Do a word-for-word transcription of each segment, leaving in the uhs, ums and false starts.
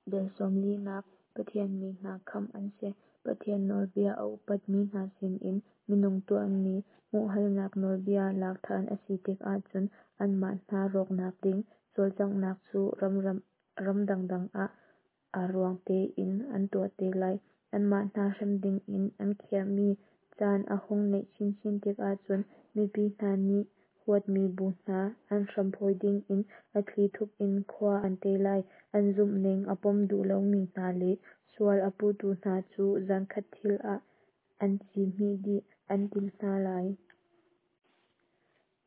Dal sawmlinak Pathian mi hna khamh an si. Pathian nawlbia a upatmi hna sinin minung tuahmi hmuhhalnak nawlbia lak ṭhan a si tikah cun anmah hna rawknak ding cawlcanghnak cu ram dangdang ah aa ruang tein an tuah te lai. Anmah hna hrem dingin an khiahmi caan a hung naih chinchin tikah cun mipi hna nih huatmi bu hna an hram phawi dingin a thlithup in khua an te lai. An zumhning a pom duh lomi hna le sual a puhtu hna cu zankhat thil ah an ci hmih dih an timh hna lai.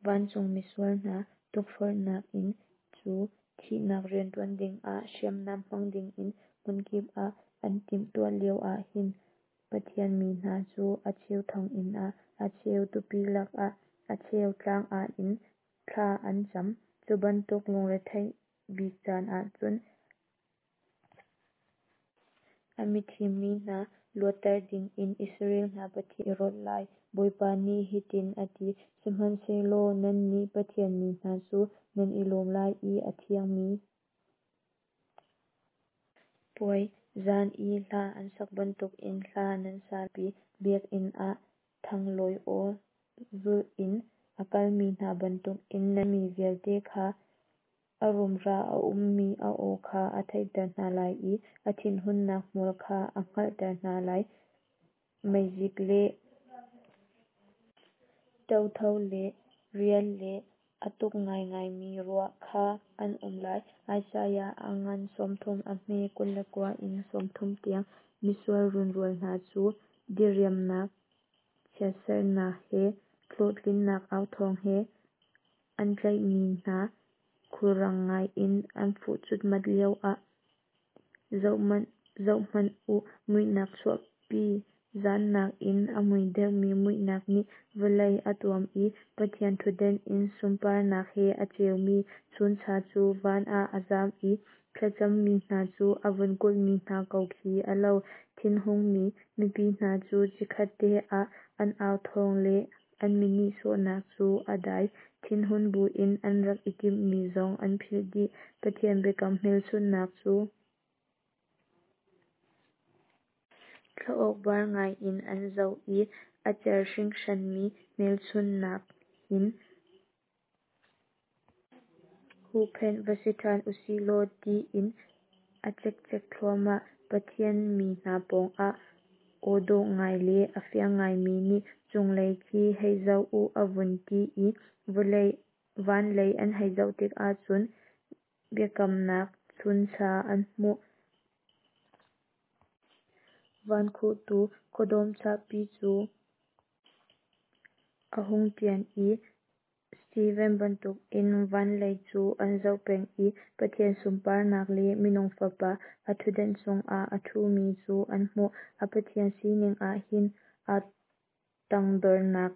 Vancung misual hna tukforhnak in cu thihnak rianṭuan dingah hriamnam hmang dingin hmunkip ah an timhtuah lio ah hin Pathian mi hna cu a cheu thonginn ah, a cheu tupi lakah, a cheu tlang ah in thla an cam. Cu bantuk lungretheih bik caan ahcun a mithim mi hna luatter dingin Israel hna Pathian i rawlh lai. Bawipa nih hitin a ti: Sihmanhsehlaw nannih Pathian mi hna cu nan i lawm lai i a thiangmi puai zan i hla an sak bantukin hla nan sa lai. Biakinn ah thanglawi aw zulh in a kalmi hna bantukin nan mi vialte kha a rumra a ummi a aw kha a theihter hna lai i a thinhunnak hmual kha a hngalhter hna lai. Meizik le ṭotho le rial le a tuk ngaingaimi ruah kha an um lai. Isaiah a ngan sawmthum a hme kul le kua in sawmthum tiang. Misual runrual hna cu diriamnak chiatserhnak he hlawhtlinnak authawng he an tlaihmi hna khulrang ngai in an fuh cutmat lioah zohhmanh u, muihnak chuahpi zan nakin a mui deuhmi muihnak nih vawlei a tuam i Pathian ṭhutdan in sunparnak he a ceumi chuncha cu van ah a zam i thlacammi hna cu a vun kulhmi hna ko khi a lo. Thinhungmi mipi hna cu chikkhatte ah an au thawng le an mi nihsawhnak cu a dai, thinhun buin an rak i timhmi zong an philh dih. Pathian biakam hmelchunhnak cu khuaawkbar ngaiin an zoh i a cer hringhranmi hmelchunhnak hin huhphenh va si ṭhan u sih law tiin a cekcek thluahmah. Pathian mi hna pawngah aw dawh ngai le a fiang ngaimi nih cunglei khi hei zoh u a vun ti i van lei an hei zoh tikah cun biakamnak chuncha an hmuh. Van khuhtu khuadawm chahpi cu a hung ṭian i Steven bantukin van lei cu an zoh peng i Pathian sunparnak le Minung Fapa a ṭhutdan cungah a ṭhumi cu an hmuh. A Pathian sining ah hin aa tangdornak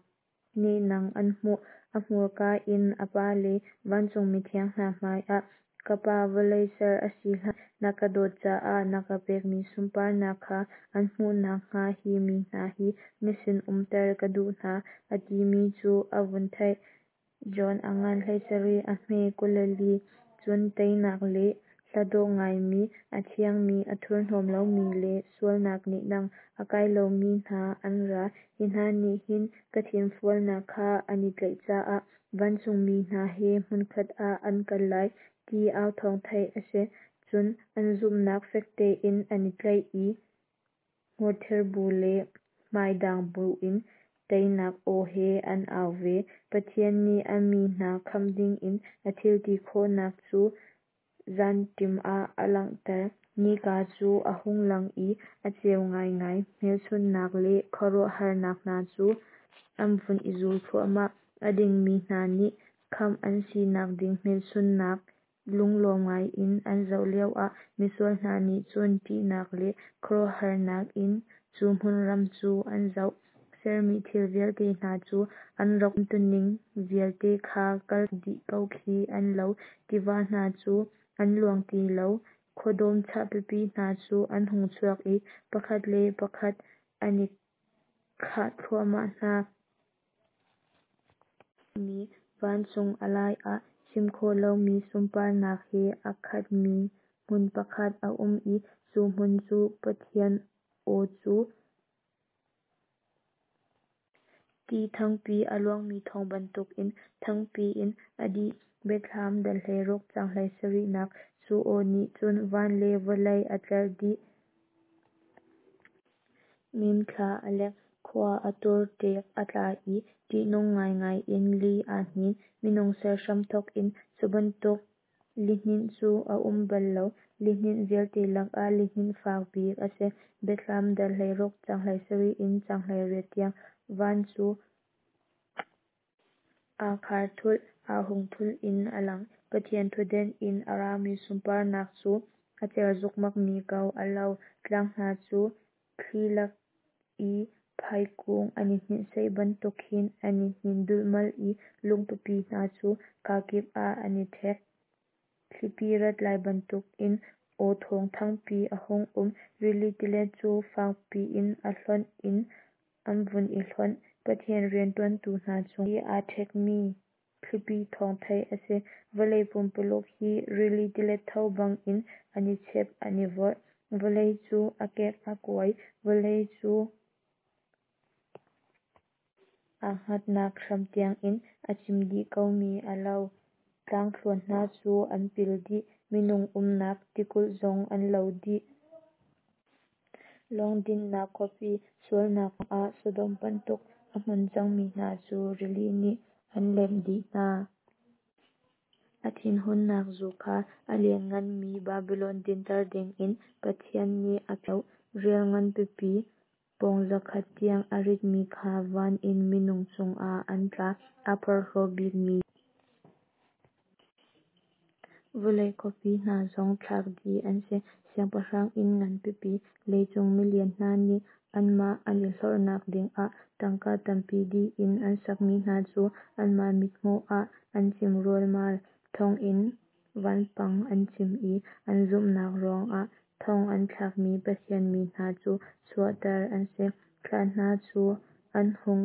nehnang an hmuh. A hmurka in a Pa le vancung mithiang hna hmaiah, Ka Pa, vawlei ser a si hlan na ka dawt caah na ka pekmi sunparnak kha an hmuh nakhnga hi mi hna hi na sin umter ka duh hna, a timi cu a vun theih. John a ngan hleisarih a hme kul le li. Cun teinak le hla dawh ngaimi, a thiangmi, a thurhnawm lomi le sualnak nehnang a kai lomi hna an ra. Hi hna nih hin ka thinfualnak kha an i tlaih caah vancungmi hna he hmunkhat ah an kal lai, ti au thawng theih a si. Cun an zumhnak fek tein an i tlaih i hmurthir bu le hmaidang buin teinak aw he an au ve. Pathian nih a mi hna khamh dingin a thil ti khawhnak cu zanṭim ah a langhter. Nika cu a hung lang i a ceu ngaingai, hmelchunhnak le khuaruahharnak hna cu an vun i zul thluahmah. A dingmi hna nih khamh an sinak ding hmelchunhnak lunglawm ngaiin an zoh lioah misual hna nih cun ṭihnak le khuaruahharnak in cu hmunram cu an zoh. Sermi thil vialte hna cu an rak umtuning vialte kha kaltak dih ko khi an lo. Tiva hna cu an luang ti lo, khuadawm chah pipi hna cu an hung chuak i pakhat le pakhat an i khah thluahmah hna. Vancung a lai ah chim khawh lomi sunparnak he a khatmi Hmun pakhat a um i cu hmun cu Pathian aw cu ti thangpi a luangmi thawng bantukin thangpi in a dih. Biathlam dal hleiruk caang hleisarihnak. Cu aw nih cun van le vawlei a tlerh dih. Mimthla a lek, khua a tur, ṭek a tla i ṭihnung ngaingai in li aa hnin. Minung ser hramthawk in cu bantuk lihninh cu a um bal lo, lihninh vialte lakah lihninh fak bik a si. Biathlam dal hleiruk caang hleisarih in caang hleiriat tiang. Van cu aa khar thulh, aa hung thulh in a lang. Pathian thutden in a rami sunparnak cu a cer zukmakmi ko a lo. Tlang hna cu thli lak i phaikung an i hninhsaih bantuk khin an i hnin dulhmalh i lung pipi hna cu kakip ah an i ṭhek. Thlipi rat lai bantuk in aw thawng thangpi a hung um. Rili tilet cu fakpi in a hlonh in an vun i hlonh. Pathian rianṭuantu hna cung i aa ṭhekmi thlipi thawng theih a si. Vawlei pumpululuk hi rili tilet tho bangin an i chep an i vorh. Vawlei cu a kek a kuai. Vawlei cu aa hngatnak hram tiangin a cim dih komi a lo. Tlangthluan hna cu an pil dih. Minung umnak tikulh zong an lo dih. Lawng dinhnak khuapi, sualnak ah Sodom bantuk a hmun cangmi hna cu rili nih an lemh dih hna. A thinhunnak zu kha a liannganmi Babilon dinter dingin Pathian nih a philh lo. Rial ngan pipi, pawng zakhat tiang a ritmi kha van in minung cungah an tla. Aa porhlaw bikmi vawlei khuapi hna zong thlak dih an si. Siangpahrang inn ngan pipi, leicung milian hna nih anmah an i hlorhnak dingah tangka tampi dih in an sakmi hna cu anmah mithmuh ah an cim rialmal. Thonginn vanpang an cim i an zumhnak ruangah thong an thlakmi Pathian mi hna cu chuahter an si. Thlan hna cu an hung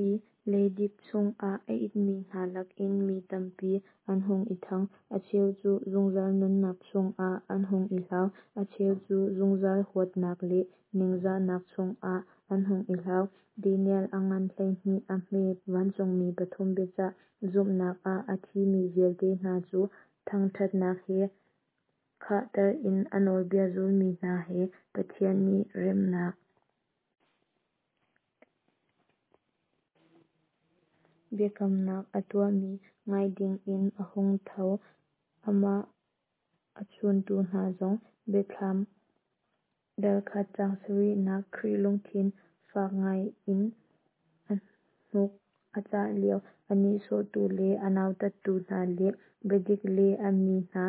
i leidip chungah a itmi hna lakin mi tampi an hung i ṭhang. A cheu cu zungzal nunnak chungah an hung i hlau, a cheu cu zungzal huatnak le ningzahnak chungah an hung i hlau. Daniel a ngan hleihnih a hme vancungmi pathum biacah. Zumhnak ah a thimi vialte hna cu thangṭhatnak he khahter in a nawlbia zulmi hna he Pathian nih remnak biakamnak a tuahmi ngai dingin a hung tho. Amah a chuntu hna zong. Biathlam dal khat caang sarihnak. Khrih lungthin fak ngai in a hnuk a cah lio, a nihsawhtu le a nautattu hna le biadik le a mi hna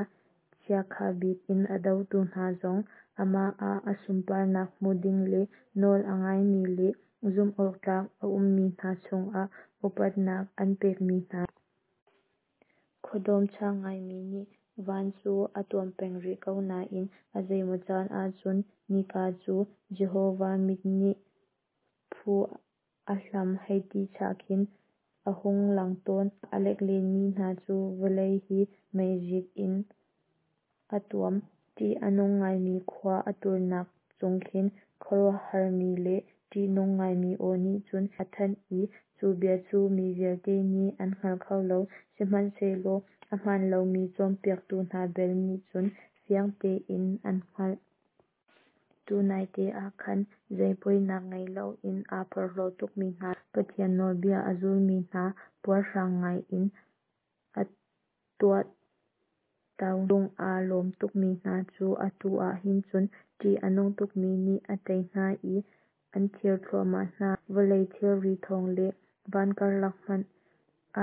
chiakha bik in a dotu hna zong amah ah a sunparnak hmu ding le nawl a ngaimi le zumhawktlak a ummi hna cungah upatnak an pekmi hna. Khuadawm chak ngaimi nih van cu a tuam peng rih ko nain a zeimaw caan ahcun nika cu Jehovah mit nih phu a hlam hei ti chah khin a hung lang tawn. A lek lenmi hna cu vawlei hi meizik in a tuam. Ṭih a nung ngaimi khua a turnak chung khin khuaruahharmi le ṭihnung ngaimi aw nih cun a thanh i cu bia cu mi vialte nih an hngal kho lo, sihmanhsehlaw ahmaan lomi cawnpiaktu hna bel nih cun fiang tein an hngalh. Tunaite ah khan zei poinak ngei loin aa porhlaw tukmi hna le Pathian nawlbia a zulmi hna puarhrang ngaiin a tuahto lung aa lawm tukmi hna cu atu ah hin cun ṭih a nung tukmi nih a tei hna i an thir thluahmah hna. Vawlei thilri thawng le van karlak hmanh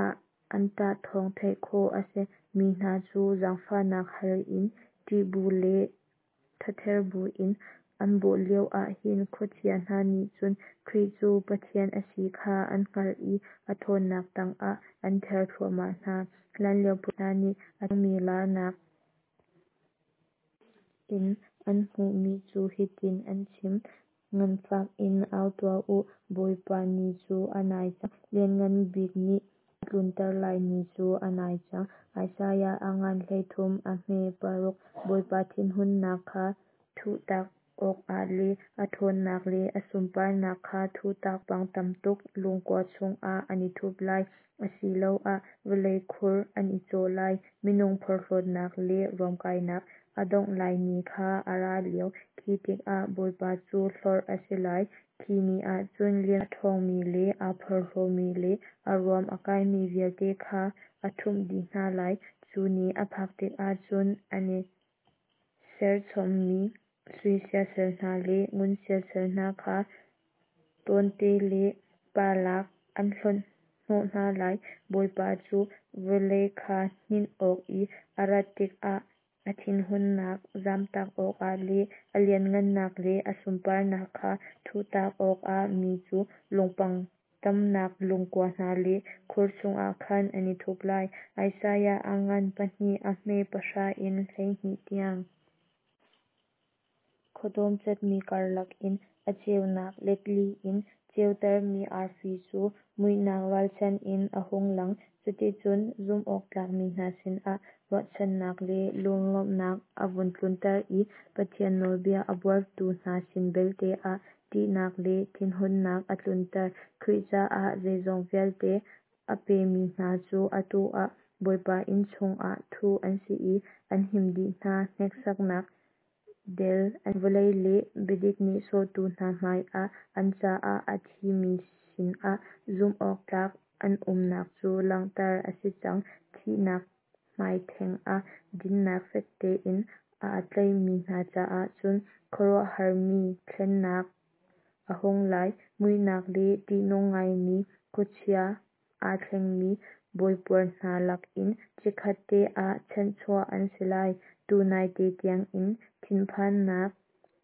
ah an ṭah thawng theih khawh a si. Mi hna cu zaangfahnak hal in ṭih bu le thather buin an bawh lioah hin khuachia hna nih cun Khrih cu Pathian a si kha an hngalh i a ṭhawnnak tangah an ther thluahmah hna. Hlanlio profet hna nih a thiangmi laarnak in an hmuhmi cu hitin an chim: Nganfak in au tuah u, Bawipa Ni cu a nai cang, Lianngan Bik nih A tlunter lai ni cu a nai cang. Isaiah a ngan hleithum a hme paruk. Bawipa thinhunnak kha thuhtak awkah le a ṭhawnnak le a sunparnak kha thuhtak pang tamtuk lungkua chungah an i thup lai, asiloah vawlei khur an i cawh lai. Minung porhlawtnak le ruamkainak a dongh lai ni kha a ra lio, khi tikah Bawipa cu hlorh a si lai. Khi ni ah cun a ṭhawngmi le aa porhlawmi le a ruam a kaimi vialte kha a ṭhumh dih hna lai. Cu ni a phak tikah cun an i serchommi sui siasal hna le ngun siasal hna kha cawhnate le palak an hlonhhnawh hna lai. Bawipa cu vawlei kha hninh awk i a rat tikah a thinhunnak zamtak awkah le a lianhngannak le a sunparnak kha thuhtak awkah mi cu lungpang tamnak lungkua hna le khur chungah khan an i thup lai. Isaiah a ngan pahnih a hme pahra in hleihnih tiang. Khuadawm catmi karlak in a ceunak let li in ceutermi arfi cu muihnak ralchan in a hung lang. Cuticun zumhawktlakmi hna sinah ruahchannak le lunglawmhnak a vun tlunter i Pathian nawlbia a buartu hna sin belte ah ṭihnak le thinhunnak a tlunter. Khrih caah zeizong vialte a pemi hna cu atu ah Bawipa inn chungah thuh an si i an him dih hna. Hneksaknak del vawlei le biadik nihsawhtu hna hmaiah an caah a thimi sinah zumhawktlak an umnak cu langhter a si cang. Thihnak hmai theng ah dinnak fek tein aa tlaihmi hna caah cun khuaruahharmi thlennak a hung lai. Muihnak le ṭihnung ngaimi khuachia aa thlengmi bawipuar hna lakin chikkhatte ah chanhchuah an si lai. Tunai te tiangin thinphannak,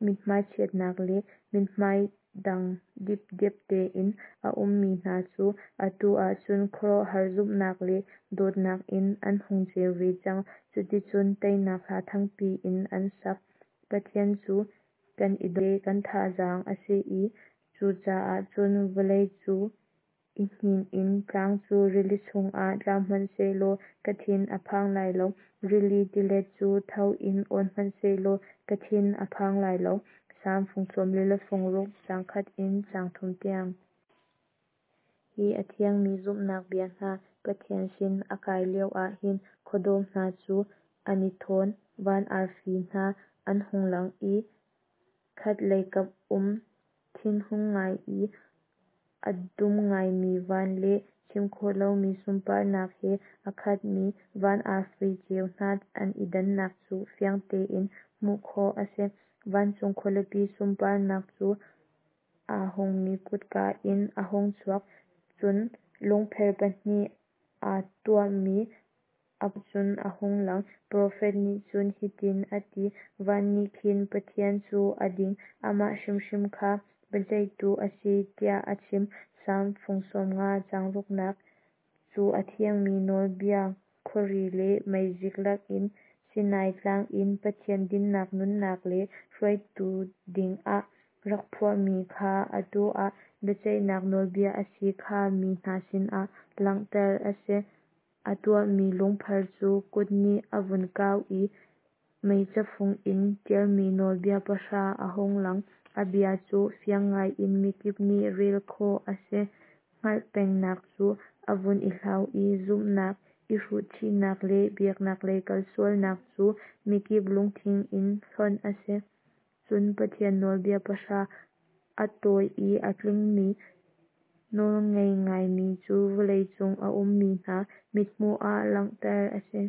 mithmai chiatnak le mithmai dang dipdep tein a ummi hna cu atu ah cun khuaruahhar zumhnak le dawtnak in an hung ceu ve cang. Cuticun teinak hla thangpi in an sak. Pathian cu kan i le kan thazaang a si i cucaah cun vawlei cu i hnin in tlang cu rili chungah tla hmanhsehlaw ka thin a phang lai lo. Rili tilet cu tho in awn hmanhsehlaw ka thin a phang lai lo. Salm fung sawm li le fung ruk, caang khat in caang thum tiang. Hi a thiangmi zumhnak bia hna Pathian sin a kai lio ah hin khuadawm hna cu an i thawn, van arfi hna an hung lang i khatlei kap um thinhung ngai i a dum ngaimi van le chim khawh lomi sunparnak he a khatmi van arfi ceu hna an i dannak cu fiang tein hmuh khawh a si. Vancung khualipi sunparnak cu aa hungmi kutka in a hung chuak, cun lungpher pahnih aa tuahmi a cun a hung lang. Profet nih cun hitin a ti: Van nih khin Pathian cu a ding, amah hrimhrim kha biaceihtu a si, tiah a chim. Salm fung sawmnga caang ruknak. Cu a thiangmi nawlbia khuari le meizik lakin Sinai tlang in Pathian dinnak nunnak le hruaitu dingah rak phuahmi kha atu ah biaceihnak nawlbia a si kha mi hna sinah langhter a si. A tuahmi lungpher cu kut nih a vun kau i mei cafung in ṭialmi nawlbia pahra a hung lang. A bia cu fiang ngaiin mikip nih rel khawh a si. Hngalh pengnak cu a vun i hlau i zumhnak, i hruhchihnak le biaknak lei kalsualnak cu mikip lungthin in hlonh a si. Cun Pathian nawlbia pahra a tawi i a tlingmi nawlngei ngaimi cu vawleicung a ummi hna mithmuh ah langhter a si.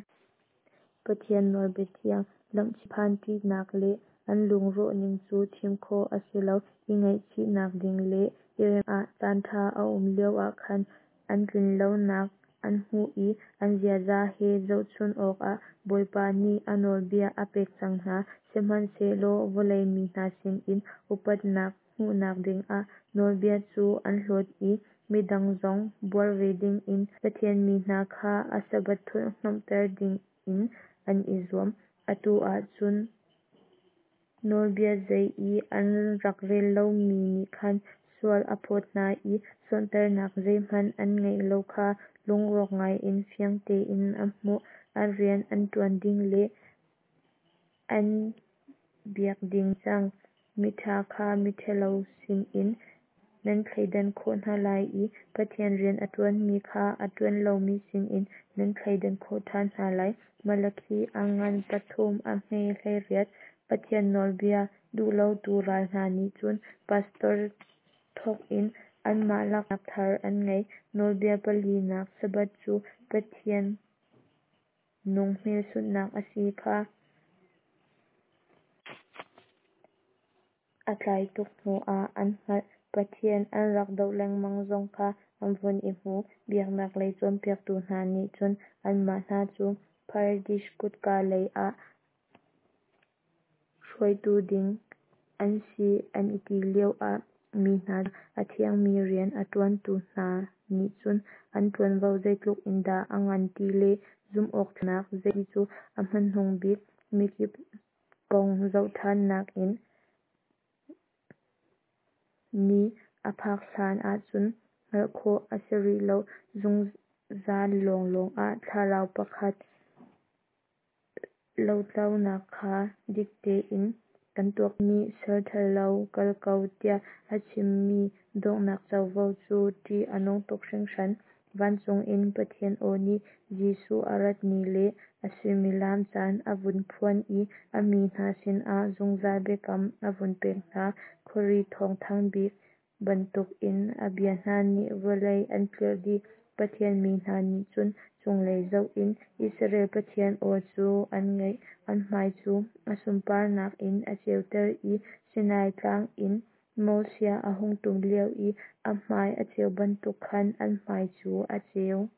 Pathian nawlbia thiang lamhchih ṭihnak le an lungrawh ning cu chim khawh a si lo. I ngaihchihnak ding le i remh ah caanṭha a um lioah khan an tlinlonak an hmuh i an ziaza he zohchunh awkah Bawipa nih a nawlbia a pek cang hna. Sihmanhsehlaw vawlei mi hna sinin upatnak hmuhnak dingah nawlbia cu an hlawt i midang zong buar ve dingin Pathian mi hna kha a Sabbath thurhhnawmhter dingin an i zuam. Atu ah cun nawlbia zei i an rak rel lomi nih khan sual a phawt hna i sonhtarhnak zeihmanh an ngeih lo kha lungrawk ngaiin fiang tein a hmuh. A rian an ṭuan ding le an biak ding cang. Miṭha kha miṭhalo sinin nan thleidan khawh hna lai i Pathian rian a ṭuanmi kha a ṭuan lomi sinin nan thleidan khawh ṭhan hna lai. Malakhi a ngan pathum a hme hleiriat. Pathian nawlbia duhlotu ral hna nih cun pastor thawk in anmah laknak thar an ngei. Nawlbia palinak Sabbath cu Pathian nung hmelchunhnak a si kha a tlai tuk hnuah an hngalh. Pathian an rak doh lengmang zong kha an vun i hmu. Biaknak lei cawnpiaktu hna nih cun anmah hna cu Paradis kutka lei ah hruaitu ding an si an i ti lioah mi hna a thiangmi rian a ṭuantu hna nih cun an ṭuanvo zeitluk in dah a ngan ti le zumhawktlaknak zei cu a hmanung bik mikip kong zohṭhannak in ni a phak hlan ahcun hngalh khawh a si rih lo. Zungzal lawnglawng ah thlarau pakhat lohtlaunak kha dik tein kan tuak. Nih salṭhalo kal ko tiah a chimmi donghnak covo cu ṭih a nung tuk hringhran. Vancung in Pathian aw nih Jesuh a rat ni le a suimilam caan a vun phuan i a mi hna sinah zungzal biakam a vun pek hna. Khuari thawng thangbik bantukin a bia hna nih vawlei an tlirh dih. Pathian mi hna nih cun cunglei zoh in Israel Pathian aw cu an ngaih. An hmai cu a sunparnak in a ceuter i Sinai tlang in Moses a hung ṭum lio i a hmai a ceu bantuk khan an hmai cu a ceu.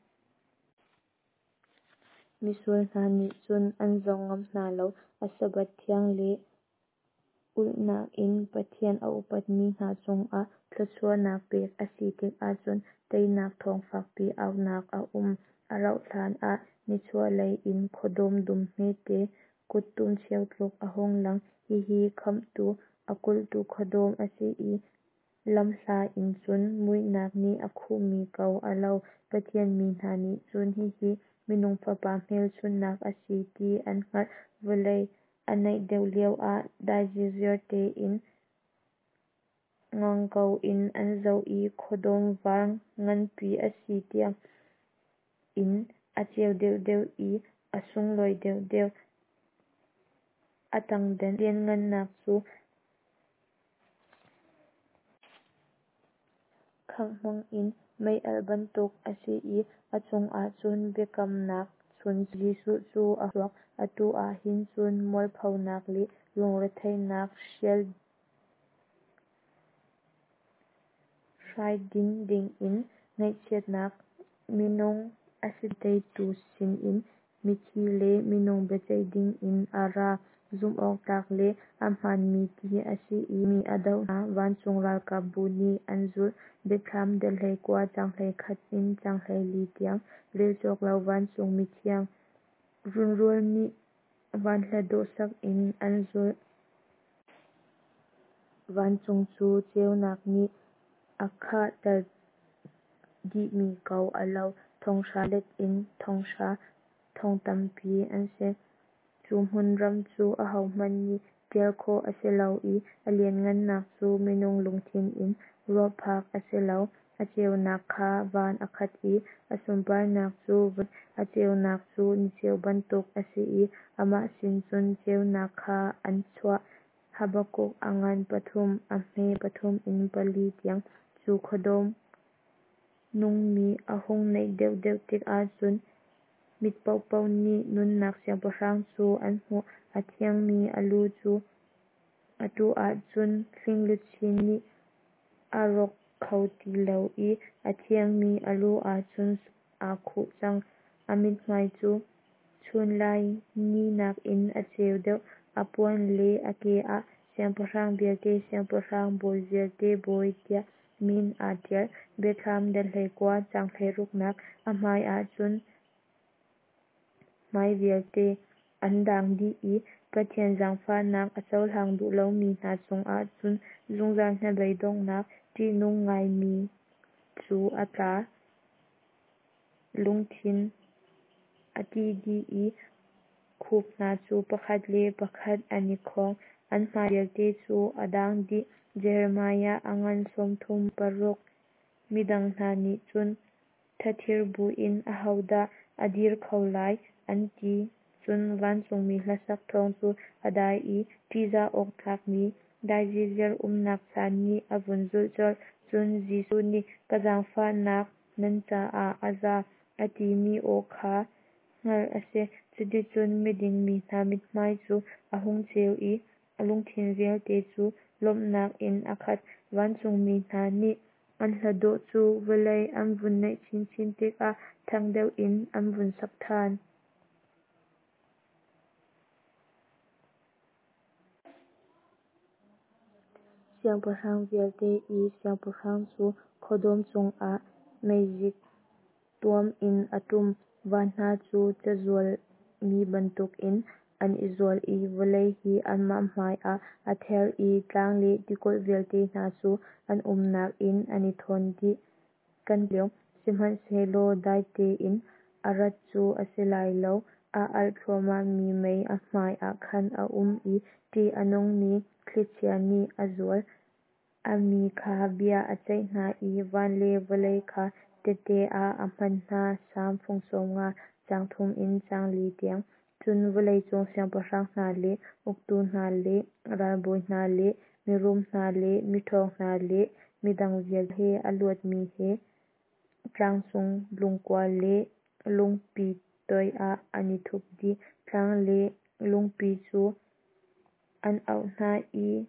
Misual hna nih cun an zoh ngam hna lo. A Sabbath thiang le ulhnak in Pathian a upatmi hna cungah thluachuahnak pek a si tikah cun teinak thawng fakpi aunak a um. A rauh hlan ah nichuahlei in khuadawm dum hmete kuttum cheu tluk a hung lang. Hihi Khamhtu a kulhtu khuadawm a si i lamhla in cun muihnak nih a khuhmi ko a lo. Pathian mi hna nih cun hihi minung Fapa hmelchunhnak a si ti an hngalh. Vawlei a naih deuh lioah dai ziarziar tein ngang ko in an zoh i khuadawm var nganpi a si tiang in a ceu deuhdeuh i a sunglawi deuhdeuh. A tangden lianhngannak cu khangh hmangin mei-alh bantuk a si i a cungah cun biakamnak chung Jesuh cu a chuak. Atu ah hin cun mualphonak le lungretheihnak hrial hraidin dingin ngaihchiatnak minung a si teitu sinin mithi le minung biaceih dingin a ra. Zumhawktlak le ahmaanmi ti a si i mi a doh hna. Vancung ralkapbu nih an zulh. Biathlam dal hleikua caang hleikhat in caang hleili tiang. Rel cawk lo vancung mithiang runrual nih van hla dawh sak in an zulh. Vancung cu ceunak nih a khahter dihmi ko a lo. Thonghra let in thonghra thong tampi an si. Cu hmunram cu ahohmanh nih ṭial khawh a si lo i a lianhngannak cu minung lungthin in ruahphak a si lo. A ceunak kha van a khat i a sunparnak cu a ceunak cu niceu bantuk a si i amah sin cun ceunak kha an chuah. Habakkuk a ngan pathum a hme pathum in pali tiang. Cu khuadawm nungmi a hung naih deuhdeuh tikah cun mit paohpaoh nih nunnak Siangpahrang cu an hmuh. A thiangmi a lu cu atu ah cun hling luchin nih a rawk kho ti lo i a thiangmi a lu ah cun aa khuh cang. A mithmai cu chunlai ni nakin a ceu deuh. A puan le a ke ah siangpahrang vialte Siangpahrang, bawi vialte Bawi tiah min aa ṭial. Biathlam dal hleikua caang hleiruknak. A hmai ah cun hmai vialte an daang dih i Pathian zaangfahnak a cohlang duh lomi hna cungah cun zungzal hnabeidonghnak ṭihnung ngaimi cu a tla. lungthin a ti dih i khup hna cu pakhat le pakhat an i khawng, an hmai vialte cu a dang dih. Jeremiah a ngan sawmthum paruk. Midang hna nih cun thathir buin, Ahodah a dir kho lai? an ti. Cun vancungmi hlasak thawng cu a dai i ṭihzah awk tlakmi dai ziziar umnak caan nih a vun zulh colh. Cun Jesuh nih, Ka zaangfahnak nan caah a za, a timi aw kha hngalh a si. Cuticun miding mi hna mithmai cu a hung ceu i lungthin vialte cu lawmhnak in a khat. Vancungmi hna nih an hla dawh cu vawlei an vun naih chinchin tikah thang deuh in an vun sak ṭhan. Siangpahrang vialte i Siangpahrang cu khuadawm cungah meizik tuam in a ṭum. Van hna cu ca zualmi bantukin an i zual i vawlei hi amah hmaiah a ther i tlang le tikulh vialte hna cu an umnak in an i thawn dih. Kan lio, sihmanhsehlaw dai tein a rat cu a si lai lo. A alh thluahmahmi mei a hmaiah khan a um i ṭih a nungmi thlichia nih a zual. A mi kha bia a ceih hna i van le vawlei kha tehte ah a hman hna. Salm fung sawm nga, caang thum in caang li tiang. Cun vawleicung siangpahrang hna le uktu hna le ralbawi hna le mirum hna le miṭhawng hna le midang vialte he a luatmi he tlang cung lungkua le lungpi toiah an i thup dih. Tlang le lungpi cu an auh hna i,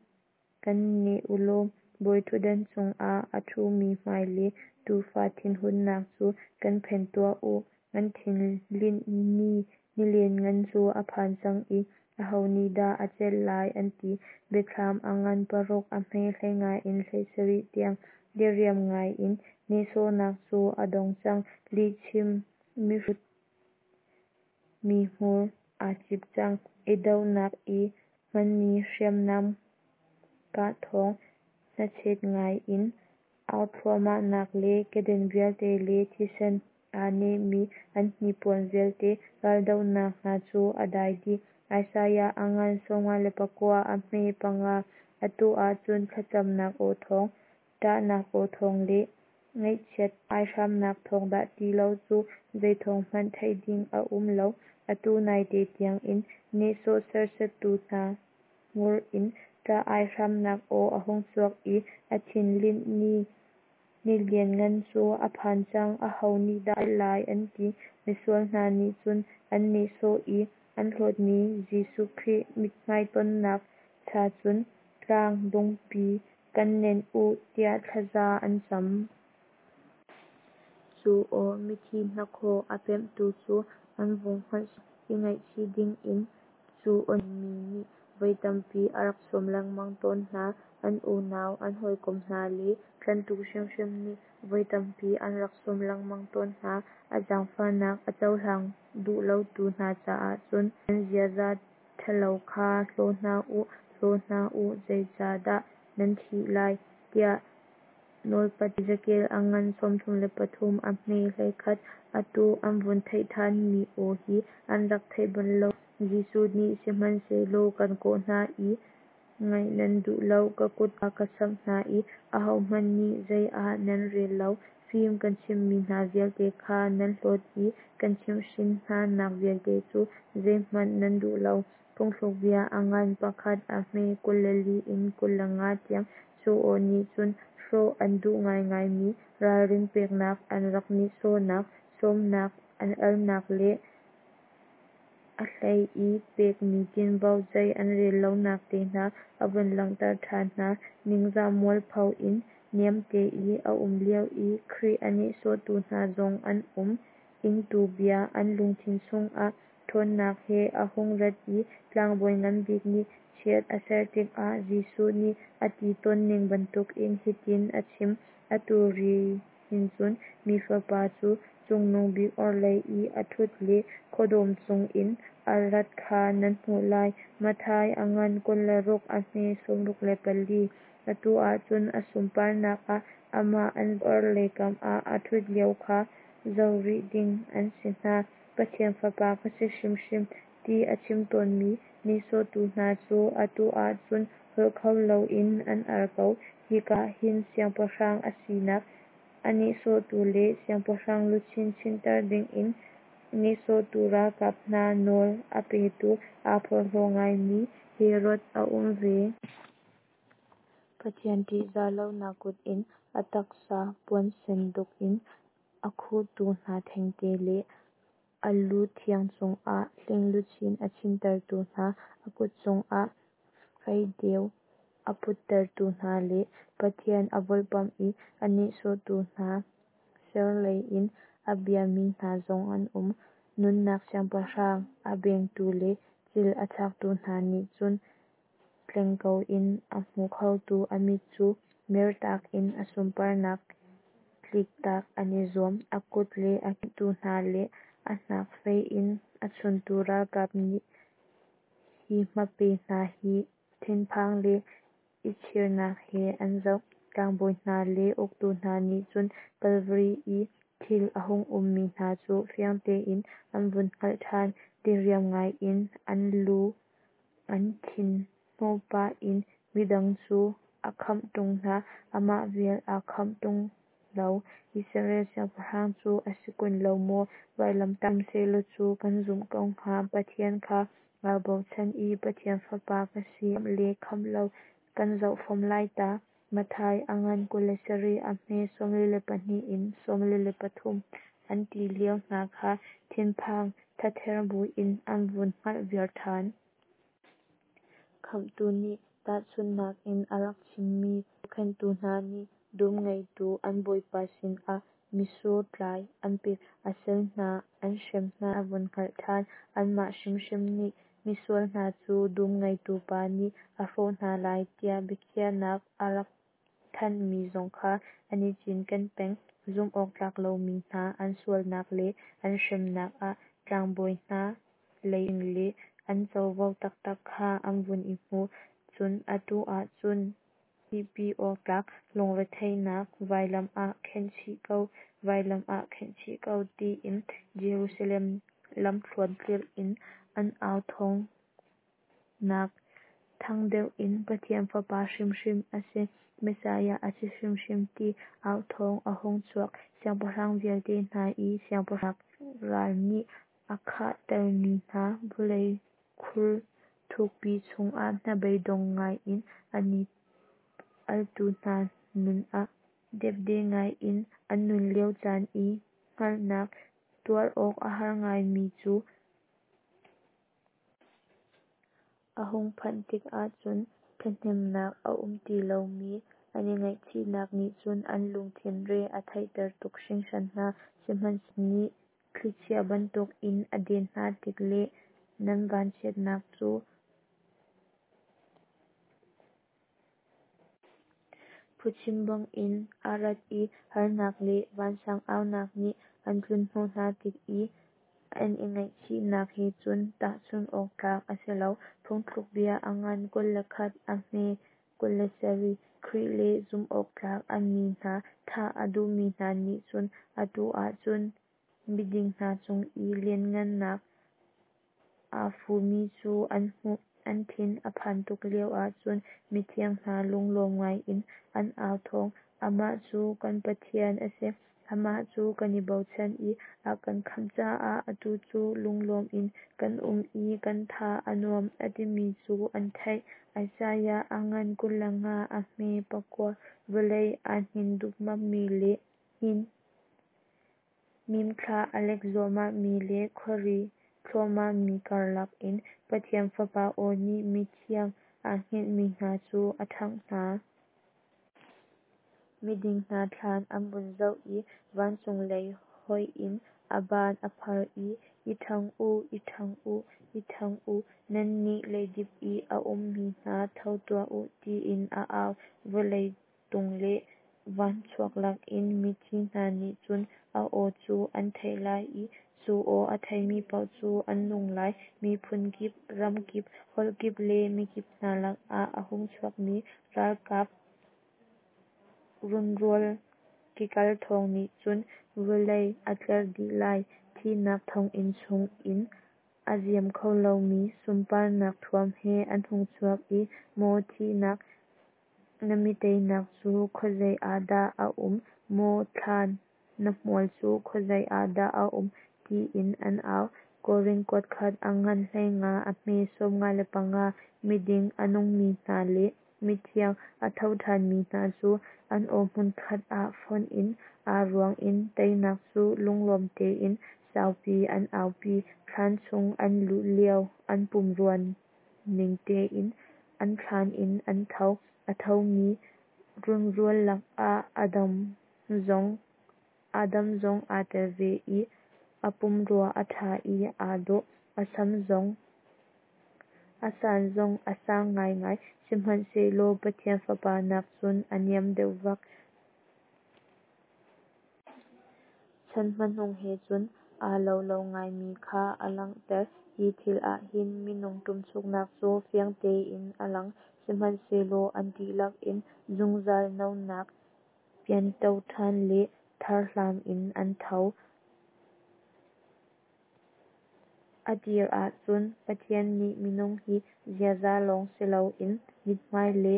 Kan neh u law bawiṭhutdan cungah a ṭhumi hmai le Tuufa thinhunnak cu kan phen tuah u. An thin linh ni ni lianngan cu a phan cang i aho nih dah a celh lai, an ti. Biathlam a ngan paruk a hme hleinga in hleisarih tiang. Diriam ngaiin nehsawhnak cu a dong cang; lihchim mihrut mi hmur aa cip cang. I dohnak i hmanmi hriamnam kah thawng, hnachet ngai in au thluahmahnak le keden vialte le thisen aa nehmi an hnipuan vialte, raldohnak hna cu a dai dih. Isaiah a ngan sawmnga le pakua a hme panga. Atu ah cun thlacamnak aw thawng, ṭahnak aw thawng le ngaihchiat aihramnak thawng dah ti lo cu zei thawng hmanh theih ding a um lo. Atu naite tiangin nehsawh serhsattu hna hmur in ṭah aihramnak aw a hung chuak i a thin linh ni ni lianngan cu a phan cang, aho nih dah a celh lai, an ti. Misual hna nih cun an nehsawh i an hlawtmi Jesuh Khrih mithmai tonnak cha cun tlang dongpi kan nenh u tiah thlaza an cam. Cu aw mithi hnakhaw a pemhtu cu an vung hngalh i ngaihchih dingin cu aw mi nih voi tampi a rak sawm lengmang tawn hna. An unau, an hawikom hna le tlanhtu hrimhrim nih voi tampi an rak sawm lengmang tawn hna. A zaangfahnak a cohlang duh lotu hna caah cun, Nan ziaza ṭhalo kha hlaw hna u, hlaw hna u, zeicahdah nan thih lai, tiah nawlpat Ezekiel a ngan sawmthum le pathum a hme hleikhat. Atu an vun theih ṭhanmi aw hi an rak theih bal lo. Jesuh nih, Sihmanhsehlaw kan kawh hna i ngaih nan duh lo; ka kut kha ka samh hna i ahohmanh nih zei ah nan rel lo. Fim kan chimhmi hna vialte kha nan hlawt i kan chimhhrin hna nak vialte cu zeihmanh nan duh lo. Phungthlukbia a ngan pakhat a hme kul le li in kul le nga tiang. Cu aw nih cun hrawh an duh ngaingaimi ralrin peknak, an rak nehsawhnak, sawmnak, an alnak le a hlei i pekmi tinvo zei an rel lonak te hna a vun langhter ṭhan hna. Ningzah mualpho in niamte i a um lio i Khrih a nehsawhtu hna zong an um. Ingtu bia an lungthin chungah ṭhawnnak he a hung rat i tlangbawi ngan bik nih chiat a ser tikah Jesuh nih a ti tawnning bantukin hitin a chim: Atu ri hin cun Mi Fapa cu Cungnung Bik orhlei i a ṭhut le khuadawm cungin a rat kha nan hmuh lai. Matthai a ngan kul le ruk a hme sawmruk le pali. Atu ah cun a sunparnak ah amah an orhlei kam ah a ṭhut lio kha zoh rih ding an si hna. Pathian Fapa ka si hrimhrim ti a chim tawnmi nihsawhtu hna cu atu ah cun holh kho loin an ar ko. Hika ah hin siangpahrang a sinak a nihsawhtu le siangpahrang luchin chinhter dingin nihsawhtu ralkap hna nawl a petu aa porhlaw ngaimi Herod a um ve. Pathian ṭihzah lonak kut in a taksa puan senduk in a khuhtu hna thengte le a lu thiang cungah hling luchin a chinhtertu hna, a kut cungah feideu a puttertu hna le Pathian a volhpamh i a nihsawhtu hna sirlei in a biami hna zong an um. Nunnak Siangpahrang a bengtu le cil a thlaktu hna nih cun tleng ko in a hmu khotu a mit cu mertak in a sunparnak tliktak an i zuam. A kut le a ke hna le a hnak fei in a chuntu ralkap nih hi hmape hna hi thinphang le i chirnak he an zoh. Tlangbawi hna le uktu hna nih cun Kalvari i thil a hung ummi hna cu fiang tein an vun hngalh ṭhan. Diriam ngaiin an lu an thin hnawh pah in midang cu a khamh ṭung hna, amah bel aa khamh ṭung lo, Israel Siangpahrang cu a si kun lo maw? Vailamtah um sehlaw cu kan zumh ko hnga. Pathian kha aa bochan i Pathian Fapa ka si khamh le khamh lo kan zoh fom lai ta. Matthai a ngan kul le sarih a hme sawmli le pahnih in sawmli le pathum an ti lio hna kha thinphang thather buin an vun hngalh viar ṭhan. Khamhtu nih tahchunhnak in a rak chimmi zohkhenhtu hna nih dum ngeitu an bawipa sinah mitsur tlai an pek a sal hna an hrem hna a vun hngalh ṭhan. Anmah hrimhrim nih misual hna cu dum ngeitu pa nih a hrawh hna lai tiah biakhiahnak a rak thanhmi zong kha an i cinken peng. Zumh awk tlak lomi hna an sualnak le an hremnak ah tlangbawi hna lei le an covo taktak kha an vun i hmuh. Cun atu ah cun thihpi awk tlak lungretheihnak vailam ah khenhchih ko, vailam ah khenhchih ko tiin Jerusalem lamthluan tlirh in an au thawng nak thang deuh in Pathian Fapa hrimhrim a si, Messiah a si hrimhrim ti au thawng a hung chuak. Siangpahrang vialte hna i siangpahrang ral nih a khahtermi hna vawlei khur thukpi chungah hnabeidong ngai in an i altu hna nun ah depde ngai in an nun lio caan i hngalhnak tuar awk a har ngaimi cu a hung phanh tikah cun ṭhathnemnak a um ti lomi an i ngaihchihnak nih cun an lungthin re a theihter tuk hringhran hna. Sihmanhsehlaw nih thlichia bantukin a den hna tik le nan vanchiatnak cu phuchim bangin a rat i harnak le vansang aunak nih an tlunhnawh hna tik i an i ngaihchihnak he cun tahchunh awk tlak a si lo. Phungthlukbia a ngan kul le khat a hme kul le sarih. Khrih le zumhawktlak a mi hna thah a duhmi hna nih cun atu ah cun miding hna cung i lianhngannak aa fumi cu an hmuh. An thin a phan tuk lioah cun mithiang hna lunglawm ngaiin an au thawng, Amah cu kan Pathian a si, amah cu kan i bochan i a kan khamh caah atu cu lunglawm in kan um i kan tha a nuam, a timi cu an theih. Isaiah a ngan kul le nga a hme pakua. Vawlei aa hnin dupmapmi le hnin mimthla a lek zuahmahmi le khuari thluahmahmi karlak in Pathian Fapa aw nih mithiang aa hngilhmi hna cu a ṭhangh hna. Miding hna thlan an vun zoh i vancung lei hoih in a ban a phar i, I ṭhang u, i ṭhang u, i ṭhang u, nannih leidip i a ummi hna, tho tuah u, tiin a au. Vawlei tung le van chuak lakin mithi hna nih cun a aw cu an theih lai i cu aw a theimi paoh cu an nung lai. Miphun kip, ram kip, holh kip le mikip hna lakah a hung chuakmi ralkap runrual kikal thawng nih cun vawlei a tler dih lai. Thihnak thonginn chungin a ziam kho lomi sunparnak thuam he an hung chuak i, Maw thihnak, na mi teinak cu khuazei ah dah a um? Maw thlan, na hmual cu khuazei ah dah a um? Tiin an au. Korin kuatkhat, a ngan hleinga, a hme sawmnga le panga. Miding a nungmi hna le mithiang a tho ṭhanmi hna cu an aw hmunkhat ah fonh in aa ruang in teinak cu lunglawm tein saupi an aupi. Thlan chung an luh lio an pumrua ning tein an thlan in an tho. A thomi runrual lakah Adam zong Adam zong aa tel ve i a pumrua a ṭha i aa dawh, a sam zong a san zong a sang ngaingai, sihmanhsehlaw Pathian Fapa nakcun a niam deuh vak. Chan hmanung he cun aa lo lo ngaimi kha a langhter. Hi thil ah hin minung ṭumchuknak cu fiang tein a lang. Sihmanhsehlaw an dihlak in zungzal nonak, pianto ṭhan le tharhlam in an tho. A tir ah cun Pathian nih minung hi ziaza lawng si loin mithmai le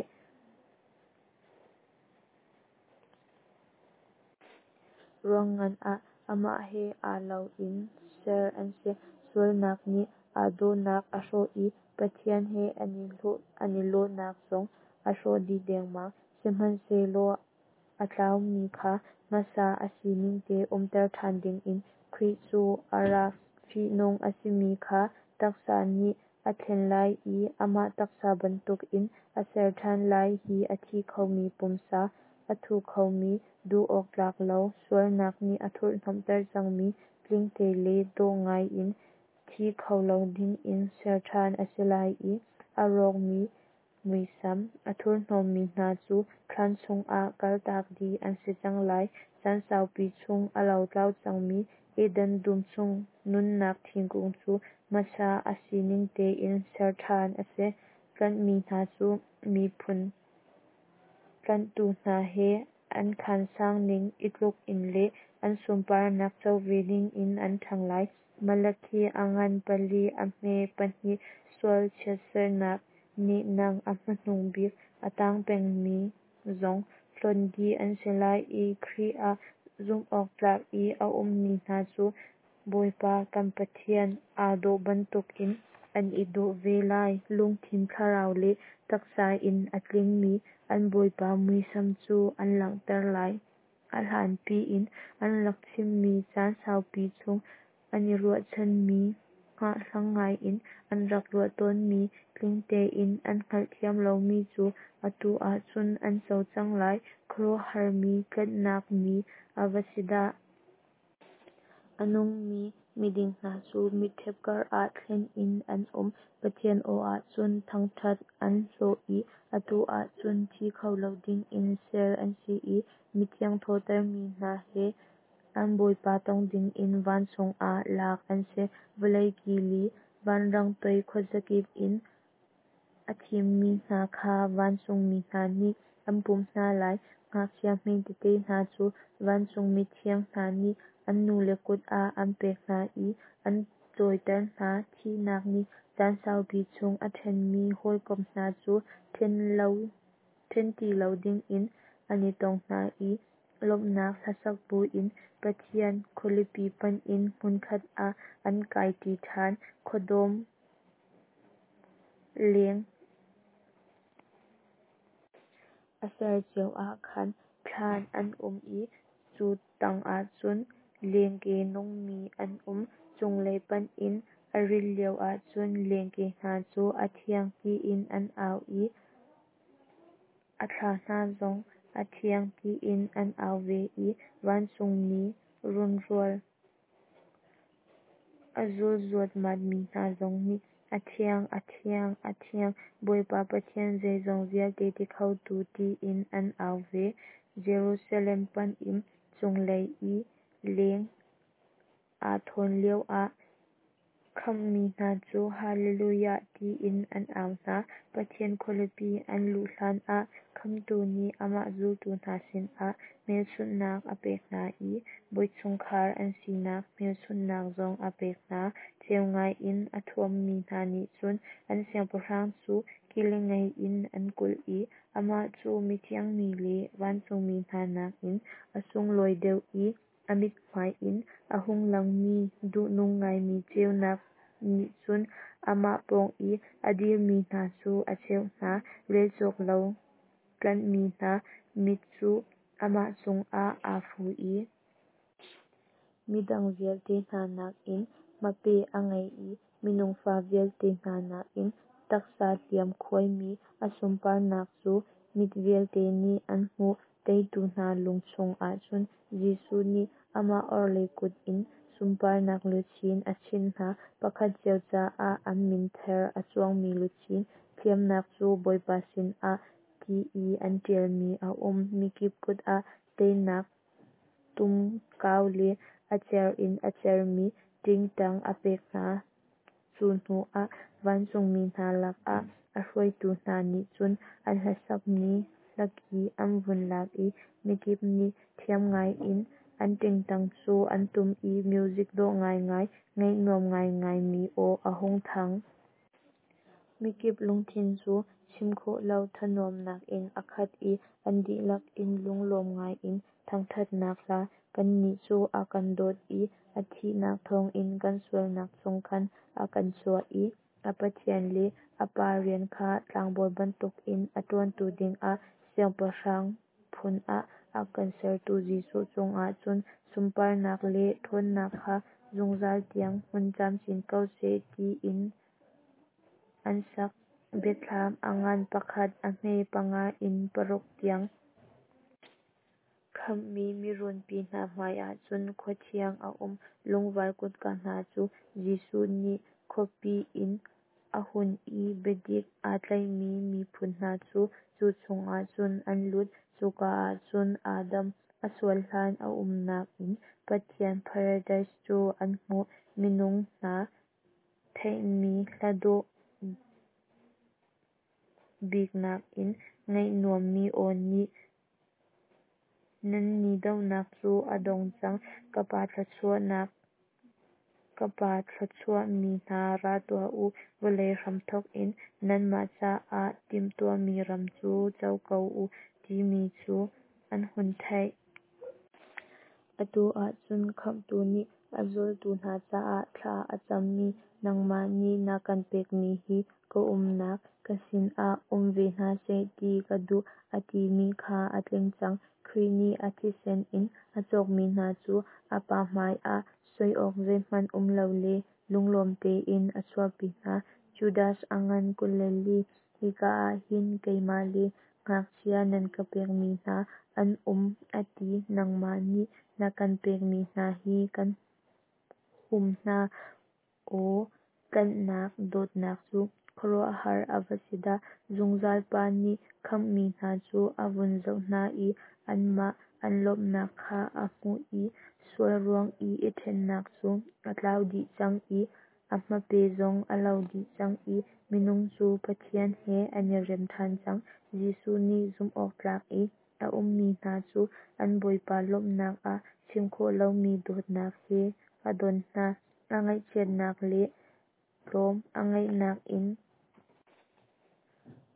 ruangngan ah amah he aa lo in ser an si. Sualnak nih aa dawhnak a hrawh i Pathian he an i lawhnak zong a hrawh dih dengmang. Sihmanhsehlaw a tlaumi kha hmasa a siningte umter ṭhan dingin Khrih cu a ra. Fihnung a simi kha taksa nih a thlen lai i amah taksa bantukin a ser ṭhan lai. Hi a thi khomi pumsa, a thu khomi, duh awk tlak lo, sualnak nih a thurhhnawmhter cangmi, tlingte le dawh ngaiin thi kho lo dingin ser ṭhan a si lai i a rawkmi muisam, a thurhnawmmi hna cu thlan chungah kaltak dih an si cang lai. Caan saupi chung a lotlau cangmi Eden dum chung nunnak thingkung cu hmasa a sining tein ser ṭhan a si. Tlanhmi hna cu miphun tlanhtu hna he an khansang ning i tluk in le an sunparnak co ve dingin an ṭhang lai. Malakhi a ngan pali a hme pahnih Sual chiatsernak nehnang a hmanung bik a tang pengmi zong hlonh dih an si lai i Khrih ah zumhawktlak i a ummi hna cu Bawipa kan Pathian aa dawh bantukin an i dawh ve lai. Lungthin, thlarau le taksa in a tlingmi an Bawipa muisam cu an langhter lai. A hlanpi in an rak chimmi, caan saupi chung an i ruahchanmi, hngahhlang ngaiin an rak ruah tawnmi, tling tein an hngalhthiam lomi cu atu ah cun an co cang lai. Khuaruahharmi tlanhnak ni a va si dah! A nungmi miding hna cu mitṭhep karah thlen in an um. Pathian aw ah cun thangṭhat an hlawh i atu ah cun thi kho lo dingin ser an si i mithiang thawhtermi hna he an Bawipa tong dingin vancung ah lak an si. Vawlei ki li, vanrang toi khuazakip in a thimmi hna kha vancungmi hna nih an pumh hna lai. Ngakchia hmetete hna cu vancung mithiang hna nih an nule kut ah an pek hna i an cawiter hna. Thihnak nih caan saupi chung a ṭhenmi hawikom hna cu ṭhen ti lo dingin an i tong hna i lawmhnak hlasak buin Pathian khualipi panh in hmunkhat ah an kai ṭi ṭhan. Khuadawm leng a ser cio ah khan thlan an um i cu tangah cun lengke nungmi an um. Cunglei panh in a rilh lioah cun lengke hna cu a thiang tiin an au i a thla hna zong a thiang tiin an au ve i vancungmi runrual a zul zuatmatmi hna zong nih, A thiang, a thiang, a thiang, Bawipa Pathian zeizong vialte ti khotu, tiin an au ve. Jerusalem panh in cunglei i leng aa thawn lioah khamhmi hna cu Hallelujah tiin an au hna. Pathian khualipi an luh hlanah Khamhtu nih amah zultu hna sinah hmelchunhnak a pek hna i bawichungkhar an sinak hmelchunhnak zong a pek hna. Ceu ngai in a thuammi hna nih cun an Siangpahrang cu kili ngei in an kulh i amah cu mithiang mi le vancungmi hna nakin a sunglawi deuh i a mithmai in a hung langmi duhnung ngaimi ceunak nih cun amah pawng i a dirmi hna cu a ceuh hna. Relcawk lo tlanhmi hna mit cu amah cungah aa fu i midang vialte hna nakin hmape a ngei i minung fa vialte hna nakin taksa hliam khuaimi a sunparnak cu mit vialte nih an hmuh. Teitu hna lung chungah cun Jesuh nih amah orhlei kut in sunparnak luchin a chinh hna, pakhat cio caah an min ther a cuangmi luchin, Thiamnak cu Bawipa sinah ti i an ṭialmi a um. Mikip kut ah teinak tumkau le a cer in a cermi ṭingṭang a pek hna. Cu hnuah vancungmi hna lakah a hruaitu hna nih cun an hlasakmi hlaki an vun lak i mikip nih thiam ngaiin an ṭingṭang cu an tum i music dawh ngaingai, ngaih nuam ngaingai mi aw a hung thang. Mikip lungthin cu chim khawh lo thanuamnak in a khat i an dihlak in lunglawm ngaiin thangṭhatnak hla, Kannih cu a kan dawt i a thihnak thawngin kan sualnak chung khan a kan chuah i a Pathian le a Pa rian kha tlangbawi bantukin a ṭuantu dingah siangpahrang phun ah a kan sertu Jesuh cungah cun sunparnak le ṭhawnnak kha zungzal tiang hmun camcin ko seh, tiin an sak. Biathlam a ngan pakhat, a hme panga in paruk tiang. Khamhmi mirunpi hna hmaiah cun khua thiang a um, Lungvar kutka hna cu Jesuh nih khuapi inn a hun i biadik aa tlaihmi miphun hna cu, cu chungah cun an lut. Cuka ah cun Adam a sual hlan a umnak inn, Pathian paradise cu an hmuh. Minung hna theihmi hla dawh bik nakin ngaih nuammi aw nih, Nan ni dohnak cu a dong cang, Ka Pa thluachuahmi hna ra tuah u, Vawlei hramthawk in nanmah caah timhtuahmi ram cu co ko u, timi cu an hun theih. Atu ah cun Khamhtu nih a zultu hna caah thla a cammi, Nangmah nih na kan pekmi hi ka umnak ka sinah um ve hna seh ti ka duh, a timi kha a tling cang. Khrih nih a thisen in a cawkmi hna cu a Pa hmaiah soi awk zeihmanh um lo le lunglawm tein a chuahpi hna. Judas a ngan kul le li. Hika ah hin keimah le ngakchia nan ka pekmi hna an um a ti nangmah nih na kan pekmi hna hi kan hum hna. Aw tlanhnak dawtnak cu khuaruahhar a va si dah! Zungzal Pa nih khamhmi hna cu a vun zoh hna i anmah an lawmhnak kha a hmuh i sual ruang i i ṭhennak cu a tlau dih cang i a hmape zong a lo dih cang i minung cu Pathian he an i rem ṭhan cang. Jesuh nih zumhawktlak i a ummi hna cu an Bawipa lawmhnak ah chim khawh lomi dawtnak he a don hna. A ngaihchiatnak le tlawm a ngaihnak in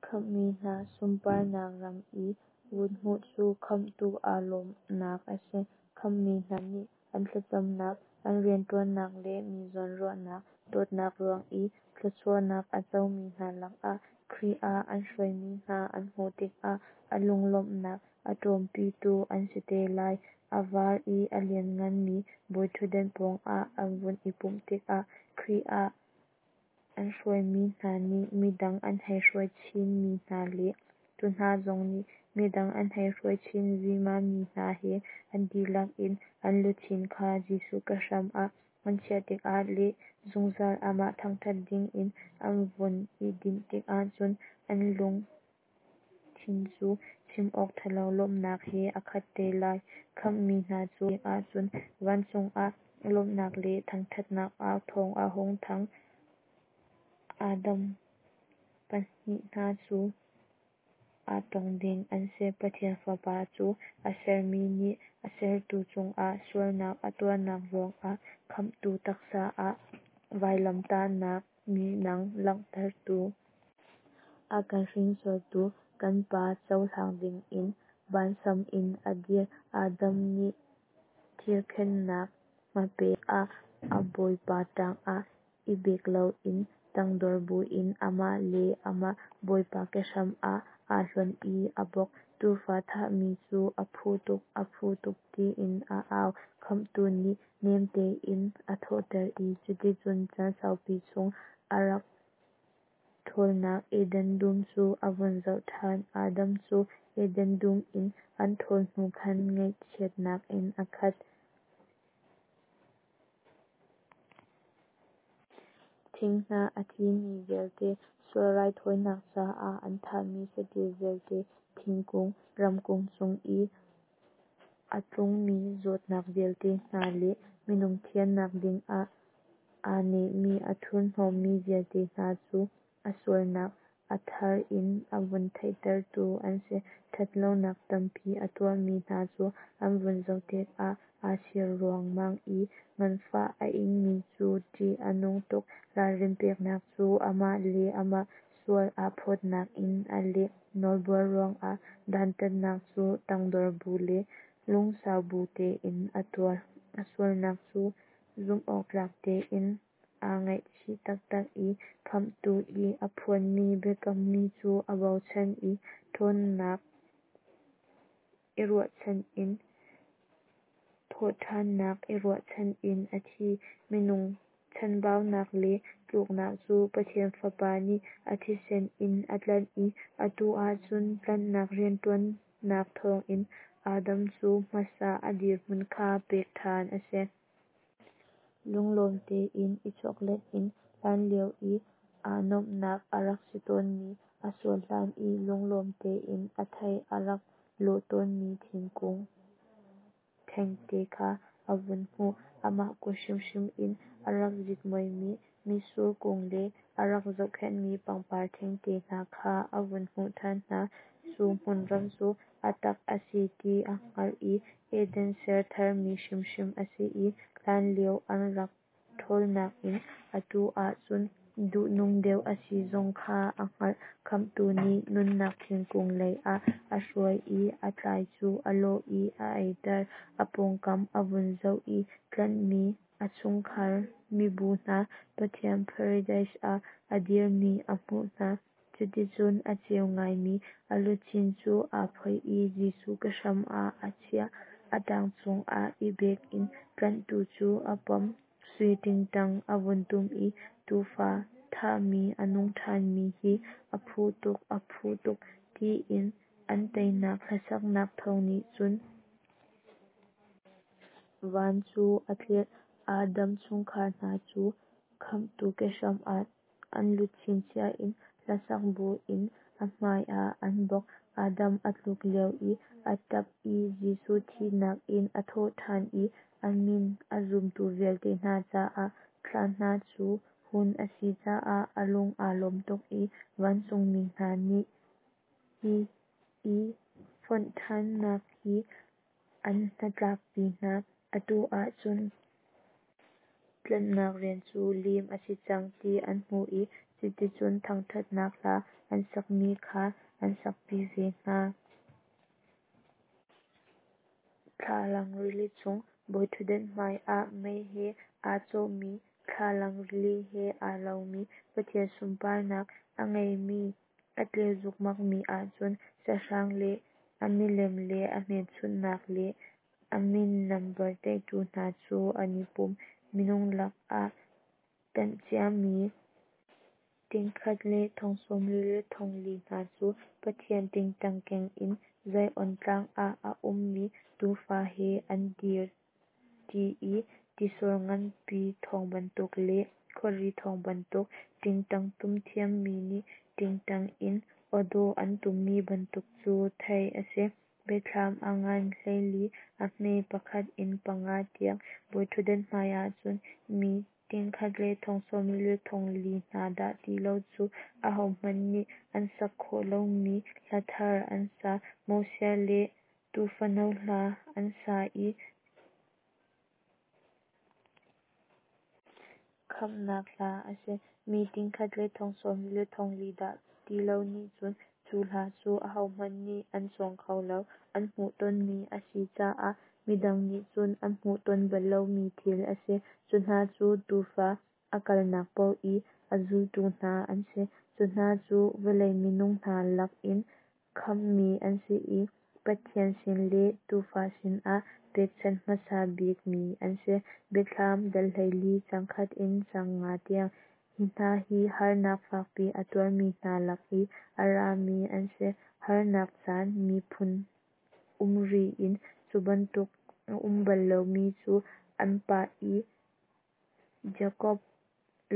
khamhmi hna sunparnak ram i vun hmuh cu Khamhtu aa lawmhnak a si. Khamhmi hna nih an thlacamnak, an rianṭuannak le mi zawnruahnak dawtnak ruang i thluachuahnak a comi hna lakah Khrih ah an hruaimi hna an hmuh tikah a lunglawmhnak a ṭawmpitu an si te lai. A var i a liannganmi bawiṭhutdan pawngah an vun i pumh tikah Khrih ah an hruaimi hna nih midang an hei hruai chinmi hna le cu hna zong nih midang an hei hruai chin vimami hna he an dihlak in an luchin kha Jesuh kehram ah an chiah tikah le zungzal amah thangṭhat dingin an vun i dinh tikah cun an lungthin cu chim awk ṭhalo lawmhnak he a khat te lai. Khamhmi hna cu ahcun vancung ah lawmhnak le thangṭhatnak au thawng a hung thang. Adam pahnih hna cu. aa tong ding an si. Pathian Fapa cu a sermi nih a sertu cungah sualnak a tuahnak ruangah Khamhtu taksa ah vailamtahnak minang langhtertu, a kan hringsortu kan Pa cohlang dingin vansam in a dir. Adam nih thirkhennak hmape ah a Bawipa ṭangah i bek loin tangdor buin amah le amah Bawipa kehram ah aa hlonh i a bawk. Tuufa thahmi cu a phu tuk, a phu tuk tiin a au. Khamhtu nih nem tein a thawhter i cuticun caan saupi chung a rak ṭhawlnak Eden dum cu a vun zoh ṭhan. Adam cu Eden dum in an ṭhawl hnu khan ngaihchiatnak in a khat. Thinghnah a thimi vialte, sual raithawinak caah an thahmi saṭil vialte, thingkung, ramkung cung i a tlungmi zawtnak vialte hna le minung thiannak dingah aa nehmi a thurhnawmmi vialte hna cu a sualnak a thar in a vun theihtertu an si. Ṭhatlonak tampi a tuahmi hna cu an vun zoh tikah aa chir ruangmang i nganfah a ingmi cu ṭih a nung tuk. Ralrin peknak cu amah le amah sual aa phawtnak in a leh. Nawlbuar ruangah dantatnak cu tangdor bu le lungsau bu tein a tuar. A sualnak cu zumhawktlak tein aa ngaihchih taktak i Khamhtu i a phuanmi biakammi cu a bochan i ṭhawnnak i ruahchan in thawhṭhannak i ruahchan in a thi. Minung chanbaunak le tluknak cu Pathian Fapa nih a thisen in a tlanh i atu ahcun tlanhnak rianṭuannak thawngin Adam cu hmasa a dirhmun kha pek ṭhan a si. Lunglawm tein i chawklet in hlanlio i aa nuamhnak a rak si tawnmi, a sual hlan i lunglawm tein a thei a rak lawh tawnmi thingkung thengte kha a vun hmuh. Amah kut hrimhrim in a rak zitmuaimi mitsur kung le a rak zohkhenhmi pangpar thengte hna kha a vun hmuh ṭhan hna. Cu hmunram cu a tak a si ti a hngalh i Eden ser tharmi hrimhrim a si i hlanlio an rak ṭhawlnak in atu ahcun duhnung deuh a si zong kha a hngalh. Khamhtu nih nunnak thingkung lei ah a hruai i a tlai cu a lawh i a eiter. A pawngkam a vun zoh i tlanhmi a chungkhar mibu hna Pathian Paradis ah a dirmi a hmuh hna. Cuticun a ceu ngaimi a luchin cu aa phoih i Jesuh kehram ah a chiah. A ṭang cungah i bek in tlanhtu cu a pom. Sui ṭingṭang a vun tum i tuufa thahmi a nung ṭhanmi hi a phu tuk, a phu tuk, tiin an teinak hlasaknak thawng nih cun van cu a tlirh. Adam chungkhar hna cu Khamhtu kehram ah an luchin chia in hlasak buin a hmai ah an bawk. Adam a tluk lio i a ṭap i Jesuh thihnak in a thawhṭhan i a min a zumtu vialte hna caah thlan hna cu hun a si caah a lung aa lawm tuk i vancungmi hna nih hi i fonh ṭhannak hi an hnatlakpi hna. Atu ahcun tlanhnak rian cu lim a si cang ti an hmuh i cuticun thangṭhatnak hla an sakmi kha an sakpi ve hna. Thlalang rili cung bawiṭhutdan hmaiah mei he aa cawhmi thlalang rili he aa lomi Pathian sunparnak a ngeimi a tleu zukmakmi ahcun sahrang le a milem le a hmelchunhnak le a min nambar tlaihtu hna cu an i pum. Minung lakah tlanh ciami tingkhat le thong sawmli le thong li hna cu Pathian ṭingṭang keng in Zion tlang ah a ummi Tuufa he an dir ṭi i tisor nganpi thawng bantuk le khuari thawng bantuk, ṭingṭang tum thiammi nih ṭingṭang in awdawh an tummi bantuk cu theih a si. Biathlam a ngan hleili, a hme pakhat in panga tiang, bawiṭhutdan hmaiah cun mi tingkhat le thong sawmli le thong li hna dah ti lo cu ahohmanh nih an sak khawh lomi hla thar an sa. Moses le Tuufano hla an sa i khamhnak hla a si. Mi tingkhat le thong sawmli le thong li dah ti lo nih cun cu hla cu ahohmanh nih an cawng kho lo. An hmuhtonmi a si caah midang nih cun an hmuhton bal lomi thil a si. Cu hna cu Tuufa a kalnak paoh i a zultu hna an si. Cu hna cu vawlei minung hna lakin khamhmi an si i Pathian sin le Tuufa sinah pekchanh hmasa bikmi an si. Biathlam dal hleili caang khat in caang nga tiang. Hi hna hi harnak fakpi a tuarmi hna lak i a rami an si. Harnak caan miphun um ri in cu bantuk a um bal lomi cu an pah i Jakob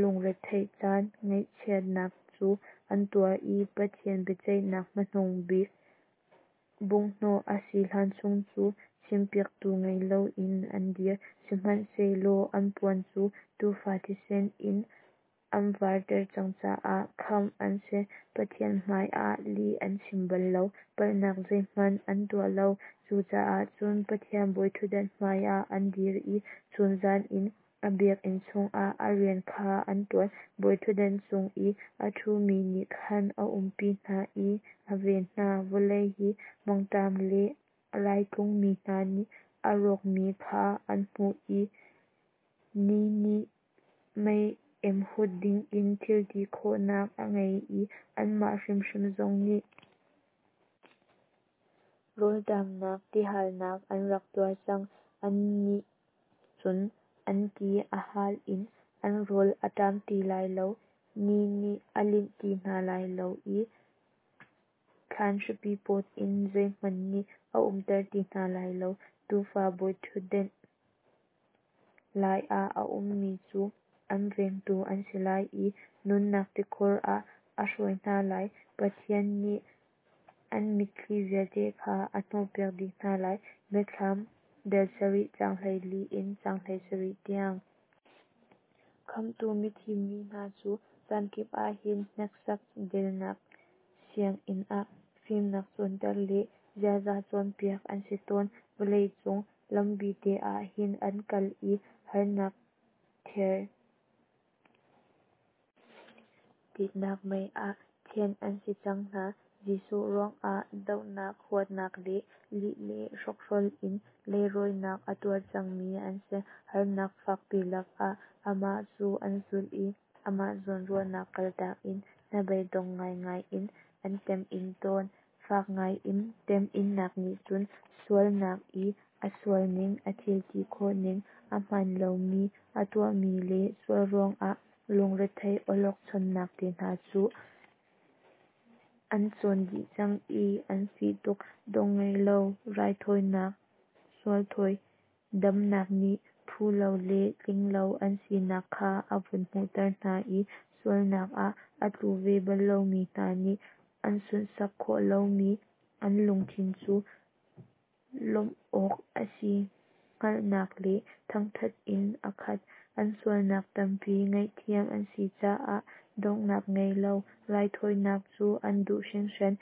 lungretheih caan ngaihchiatnak cu an tuar i Pathian biaceihnak hmanung bik bunghhnawh a si hlan chung cu chimpiaktu ngei loin an dir. Sihmanhsehlaw an puan cu Tuufa thisen in an varter cang caah khamh an si. Pathian hmaiah lih an chim bal lo, palhnak zeihmanh an tuah lo. Cucaah cun Pathian bawiṭhutdan hmaiah an dir i chunzan in a biakinn chungah a rian kha an ṭuan. Bawiṭhutdan cung i a ṭhumi nih khan a umpi hna i a ven hna. Vawlei hi mangṭam le rai tlungmi hna nih a rawkmi kha an hmuh i ni nih mei emhut dingin thil ti khawhnak a ngei i anmah hrimhrim zong nih rawlṭamnak tihalnak an rak tuar cang. Annih cun an ti a hal in an rawl a ṭam ti lai lo, ni nih a linh ti hna lai lo i thlan hripi pawt in zeihmanh nih a umter ti hna lai lo. Tuufa bawiṭhutdan laiah a ummi cu an vengtu an si lai i nunnak tikhor ah a hruai hna lai. Pathian nih an mitthli vialte kha a hnawhpiak dih hna lai. Biathlam dal sarih caang hleili in caang hleisarih tiang. Khamhtu mithim mi hna cu caankip ah hin hneksak delnak sianginn ah fimnak cawnter le ziaza cawnpiak an si tawn. Vawlei cung lambite ah hin an kal i harnak ther titnak mei ah thianh an si cang hna. Jesuh ruangah dohnak, huatnak le lih le hrokhrol in leirawinak a tuar cangmi an si. Harnak fakpi lakah amah cu an zulh i amah zawnruahnak kaltak in hnabeidong ngaingai in an temhin tawn. Fak ngaiin temhinnak nih cun sualnak i a sualning, a thil ti khawhning, a hmaan lomi a tuahmi le sual ruangah lungrethei awlokchonnak te hna cu an cawn dih cang i an fih tuk. Dong ngei lo raithawinak sual thawi damnak nih phu lo le tling lo an sinak kha a vun hmuhter hna i sualnak ah a tlu ve bal lomi hna nih an sunhsak khawh lomi an lungthin cu lawmh awk a si hngalhnak le thangṭhat in a khat. An sualnak tampi ngaihthiam an si caah donghnak ngei lo raithawinak cu an duh hringhran.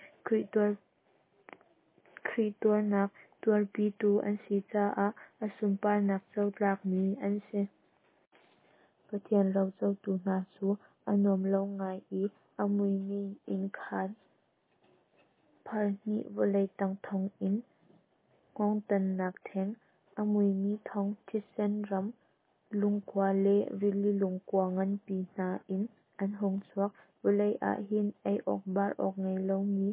Khrih tuarnak tuarpitu an si caah a sunparnak co tlakmi an si. Pathian rocotu hna cu a nuam lo ngai i a muimi innkhan pharhnih vawlei tang thonginn, hngawngtannak ṭheng, a muimi thong, thisen ram lungkua le rili lungkua nganpi hna in an hung chuak. Vawlei ah hin ei awk bar awk ngei lomi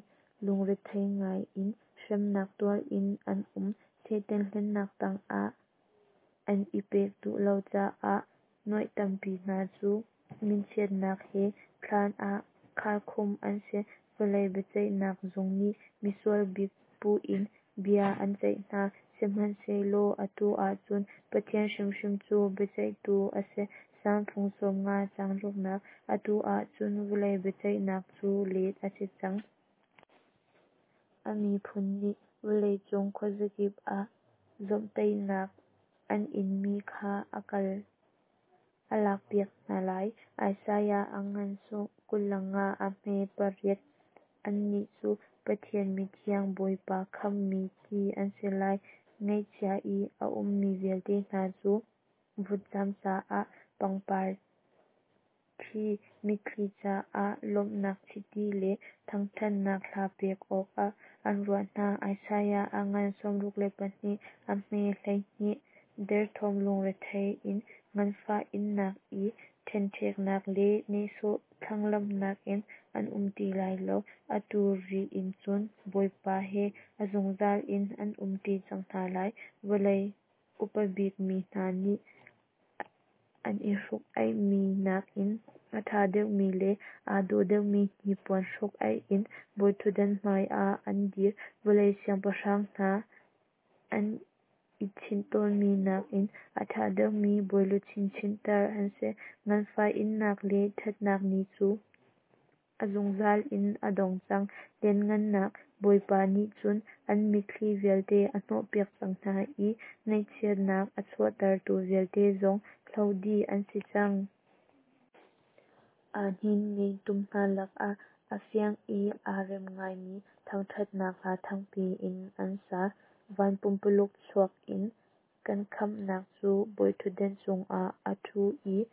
lungrethei ngai in hremnak tuar in an um. Satan hlennak tangah an i pek duh lo caah nuaih tampi hna cu minchiatnak he thlan ah kharkhumh an si. Vawlei biaceihnak zung nih misual bik puh in bia an ceih hna. Sihmanhsehlaw atu ahcun Pathian hrimhrim cu biaceihtu a si. Salm fung sawmnga caang ruknak. Atu ahcun vawlei biaceihnak cu let a si cang. A miphun nih vawleicung khuazakip ah zawmhtaihnak an inmi kha a a lakpiak hna lai. Isaiah a ngan kul le nga a hme pariat. Annih cu Pathian mithiang, Bawipa khamhmi ti an si lai. Ngaihchia i a ummi vialte hna cu vutcam caah pangpar ṭhi, mitthli caah lawmhnak chiti le thangṭhatnak hla pek awkah an ruah hna. Isaiah a ngan sawmruk le pahnih a hme hleihnih. Derthawm lungrethei in nganfah innak i ṭhenṭheknak le nehsawh thlanglamhnak in an um ti lai lo. Atu ri in cun Bawipa he a zungzal in an um ṭi cang hna lai. Vawlei upa bikmi hna nih an i hruk-aihmi nakin a ṭha deuhmi le aa dawh deuhmi hnipuan hruk-aih in bawiṭhutdan hmaiah an dir. Vawlei siangpahrang hna an i chinh tawnmi nakin a ṭha deuhmi bawiluchin chinhter an si. Nganfah innak le ṭhatnak ni cu a zungzal in a dong cang. Lianhngannak Bawipa nih cun an mitthli vialte a hnawhpiak cang hna i ngaihchiatnak a chuahtertu vialte zong hloh dih an si cang. Aa hninmi tum hna lakah a fiang i aa rem ngaimi thangṭhatnak hla thangpi in an sa. Van pumpululuk chuak in kan khamhnak cu bawiṭhutdan cungah a ṭhu i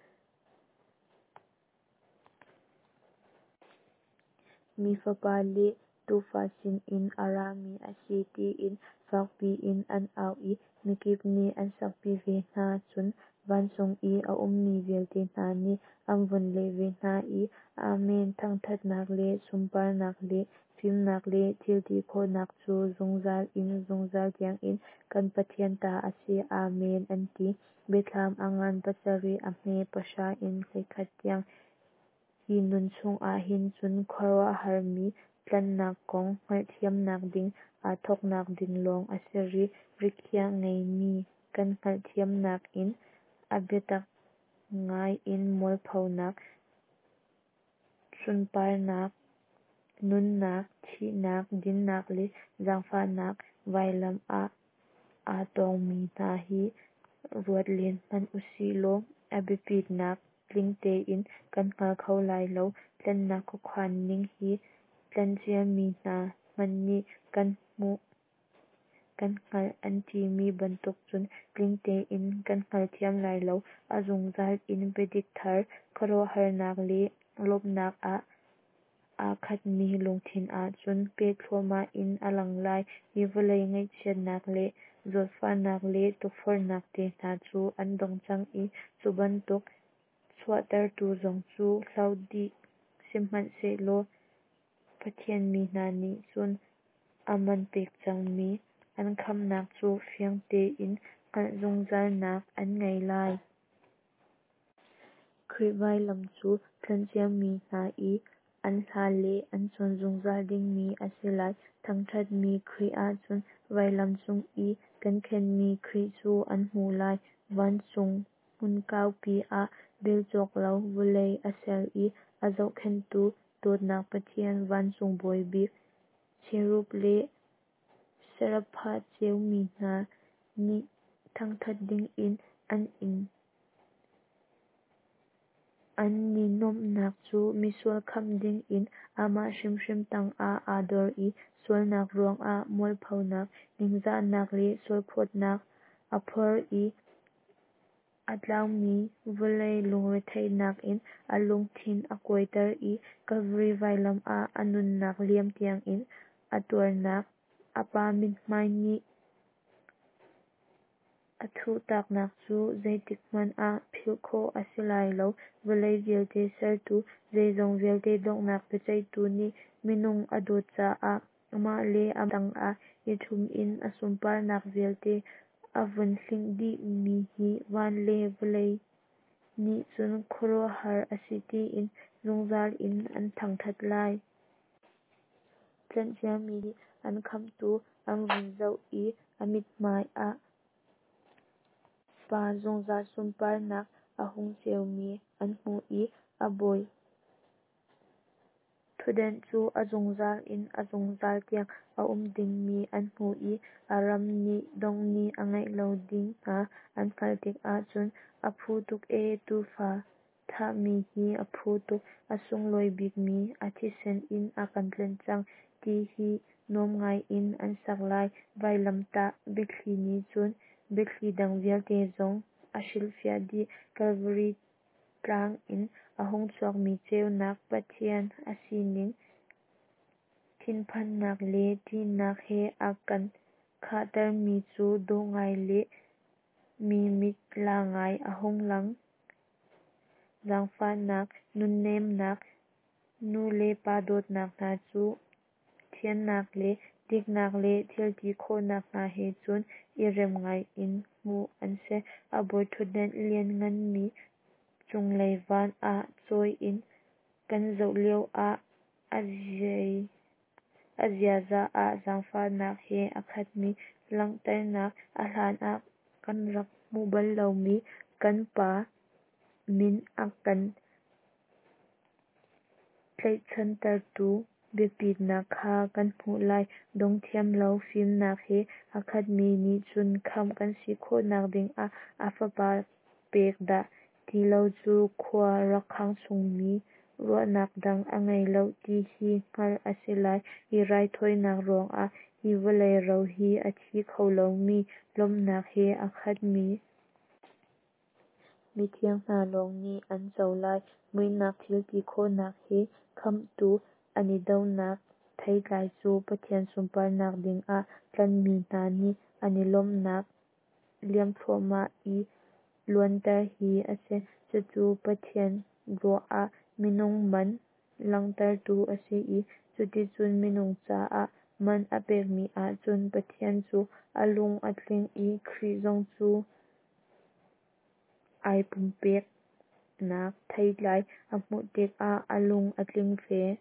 Mi Fapa le Tuufa sinin a rami a si tiin fak piin an au i mikip nih an sakpi ve hna. Cun vancung i a ummi vialte hna nih an vun leh ve hna i, Amen! Thangṭhatnak le sunparnak le fimnak le thil ti khawhnak cu zungzal in zungzal tiangin kan Pathian ta a si. Amen, an ti. Biathlam a ngan pasarih a hme pahra in hleikhat tiang. Hi nun chungah hin cun khuaruahharmi tlanhnak kong hngalhthiamnak ding aa thawknak ding lawng a si rih. Rikhiah ngeihmi kan hngalhthiamnak in a biatak ngai in mualphonak, sunparnak, nunnak, thihnak, dinnak le zaangfahnak vailam ah aa tongmi hna hi ruat len hmanh usih law a biapitnak tling tein kan hngal kho lai lo. Tlanhnak khuakhan ning hi tlanhciami hna hmanh nih kan hmuh kan hngalh an timi bantuk cun tling tein kan hngalthiam lai lo. A zungzal in biadik thar, khuaruahharnak le lawmhnak ah aa khatmi lungthin ah cun peh thluahmah in a lang lai. Hi vawlei ngaihchiatnak le zawtfahnak le tukforhnak te hna cu an dong cang i cu bantuk chuahtertu zong cu hloh dih sihmanhsehlaw Pathian mi hna nih cun a man pek cangmi an khamhnak cu fiang tein hngalh zungzalnak an ngei lai. Khrih vailam cu tlanhciami hna i an hla le an cawn zungzal dingmi a si lai. Thangṭhatmi Khrih ahcun vailam cung i kan khenhmi Khrih cu an hmuh lai. Vancung hmun kaupi ah rel cawk lo vawlei a ser i a zohkhenhtu dawtnak Pathian, vancung bawi bik cherub le serapha ceumi hna nih thangṭhat dingin an an i nuamhnak cu misual khamh dingin amah hrimhrim tangah aa dor i sualnak ruangah mualphonak, ningzahnak le sualphawtnak a phor i a tlaumi vawlei lungretheihnak in a lungthin a kuaiter i Kalvari vailam ah a nunnak liam tiangin a tuarnak, a Pa mithmai nih a thuhtaknak cu zeitikhmanh ah philh khawh a si lai lo. Vawlei vialte sertu, zeizong vialte donghnak biaceihtu nih minung a dawt caah amah le amah tangah i ṭhum in a sunparnak vialte a vun hlinh dihmi hi van le vawlei nih cun khuaruahhar a si tiin zungzal in an thangṭhat lai. Tlanhciami nih an khamhtu an vun zoh i a mithmai ah Pa zungzal sunparnak a hung ceumi an hmuh i a bawi Ṭhutdenh cu a zungzal in a zungzal tiang a um dingmi an hmuh i a ram nih dongh ni a ngeih lo ding hna an hngalh tikah cun, A phu tuk ee, Tuufa thahmi hi a phu tuk, a sunglawi bikmi a thisen in a kan tlanh cang, ti hi nuam ngaiin an sak lai. Vailamtah biathli nih cun biathli dang vialte zong a hrilhfiah dih. Kalvari tlang in a hung chuakmi ceunak, Pathian a sining, thinphannak le ṭihnak he a kan khahtermi cu dawh ngai le mi mit la ngai a hung lang. Zaangfahnak, nunnemnak, nu le pa dawtnak hna cu thiannak le diknak le thilti khawhnak hna he cun i rem ngaiin hmuh an si. A bawiṭhutdan liannganmi cunglei van ah cawi in kan zoh lioah a ziaza ah zaangfahnak he a khatmi langhternak, a hlanah kan rak hmuh bal lomi kan Pa min a kan tlaihchantertu biapitnak kha kan hmuh lai. Dong thiam lo fimnak he a khatmi nih cun khamh kan si khawhnak dingah a Fapa pek dah ti lo cu khua rak khang chungmi ruahnak dang a ngei lo ti hi hngalh a si lai. Hi raithawinak ruangah hi vawlei ro hi a thi kho lomi lawmhnak he a khatmi mithiang hna lawng nih an co lai. Muihnak thilti khawhnak he Khamhtu an i dohnak theitlai cu Pathian sunparnak dingah tlanhmi hna nih an i lawmhnak liam thluahmah i luanter hi a si. Cucu Pathian ruah ah minung man langhtertu a si i cuticun minung caah man a pekmi ahcun Pathian cu a lung a tling i Khrih zong cu ai pumpeknak theitlai a hmuh tikah a lung a tling ve.